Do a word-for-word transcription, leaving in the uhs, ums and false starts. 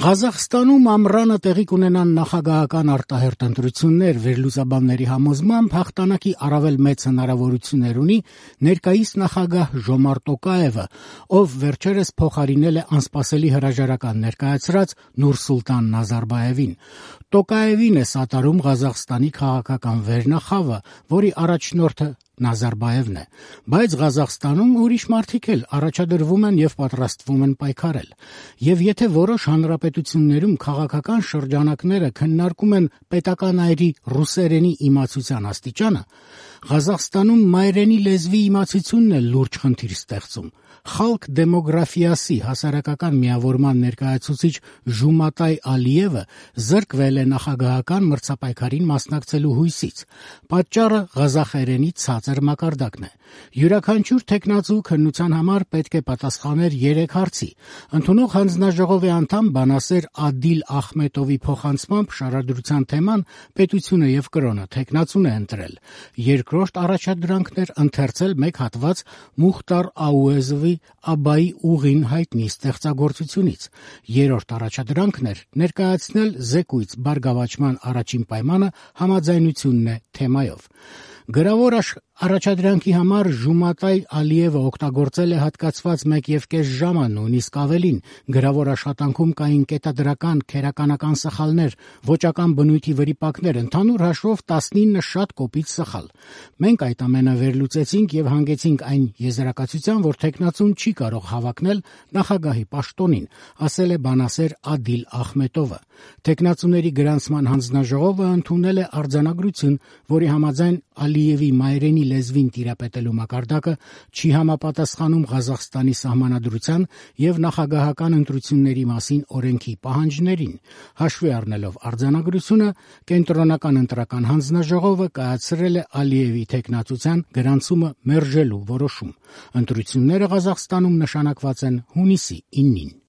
Ղազախստանում ամռանը տեղի կունենան նախագահական արտահերթ ընտրություններ, վերլուծաբանների համոզմամբ հաղթանակի առավել մեծ հնարավորություններ ունի ներկայիս նախագահ Ժոմարտ Տոկաևը, ով վերջերս փոխարինել է անսպասելի հրաժարական ներկայացրած Նուրսուլտան Նազարբաևին։ Տոկաևին է սատարում Ղազախստանի քաղաքական վերնախավը, որի առաջնորդը Նազարբաևն է, բայց Ղազախստանում ուրիշ մարդիկ էլ առաջադրվում են եւ պատրաստվում են պայքարել։ Եվ եթե որոշ հանրապետություններում քաղաքական շրջանակները քննարկում են պետական այրի ռուսերենի իմացության աստիճանը, Ղազախստանում մայրենի լեզվի իմացությունն է լուրջ խնդիր ստեղծում։ Խալկ դեմոգրաֆիասի հասարակական միավորման ներկայացուցիչ Ժումատայ Ալիևը զրկվել է նախագահական մրցապայքարին մասնակցելու հույսից։ Պատճառը ղազախերենի ցածր մակարդակն է։ Յուրաքանչյուր թեկնածու քննության համար պետք է պատասխաներ երեք հարցի։ Ընդունող հանձնաժողովի անդամ բանասեր Ադիլ Ախմետովի փոխանցմամբ շարադրության թեման պետությունը եւ կրոնը թեկնածուն է ընտրել։ Երկրորդ առաջադրանքն էր ընթերցել մեկ հատված Մուխտար Աուեզովի Աբայի ուղին հայտնի ստեղծագործությունից։ Երրորդ առաջադրանքն էր ներկայացնել զեկույց բարգավաճման առաջին պայմանը համաձայնությունն է թեմայով։ Գրավոր առաջադրանքի համար Ժումատայ Ալիևը օգտագործել է հատկացված մեկ եւ կես ժամը, նույնիսկ ավելին։ Գրավոր աշխատանքում կային կետադրական, քերականական սխալներ, ոճական բնույթի վրիպակներ, ընդհանուր հաշվով տասնինը շատ կոպիտ սխալ։ Մենք այդ ամենը վերլուծեցինք եւ հանգեցինք այն եզրակացության, որ թեկնածուն չի կարող հավակնել նախագահի պաշտոնին, ասել է բանասեր Ադիլ Ախմետովը։ Թեկնածուների գրանցման հանձնաժողովը ընդունել է արձանագրություն, որի համաձայն Ալիևի մայրենի լեզվին տիրապետելու մակարդակը չի համապատասխանում Ղազախստանի սահմանադրության եւ նախագահական ընտրությունների մասին օրենքի պահանջներին։ Հաշվի առնելով արձանագրությունը, կենտրոնական ընտրական հանձնաժողովը կայացրել է Ալիևի թեկնածության գրանցումը մերժելու որոշում։ Ընտրությունները Ղազախստանում նշանակված են հունիսի իննին։